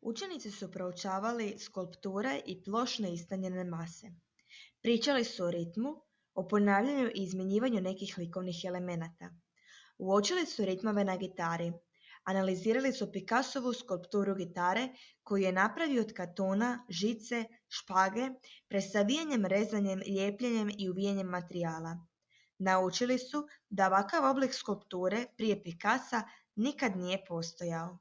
Učenici su proučavali skulpture i plošne istanjene mase. Pričali su o ritmu, o ponavljanju i izmjenjivanju nekih likovnih elemenata. Uočili su ritmove na gitari. Analizirali su Picassovu skulpturu gitare koju je napravio od kartona, žice, špage, presavijanjem, rezanjem, lijepljenjem i uvijanjem materijala. Naučili su da ovakav oblik skulpture prije Picassa nikad nije postojao.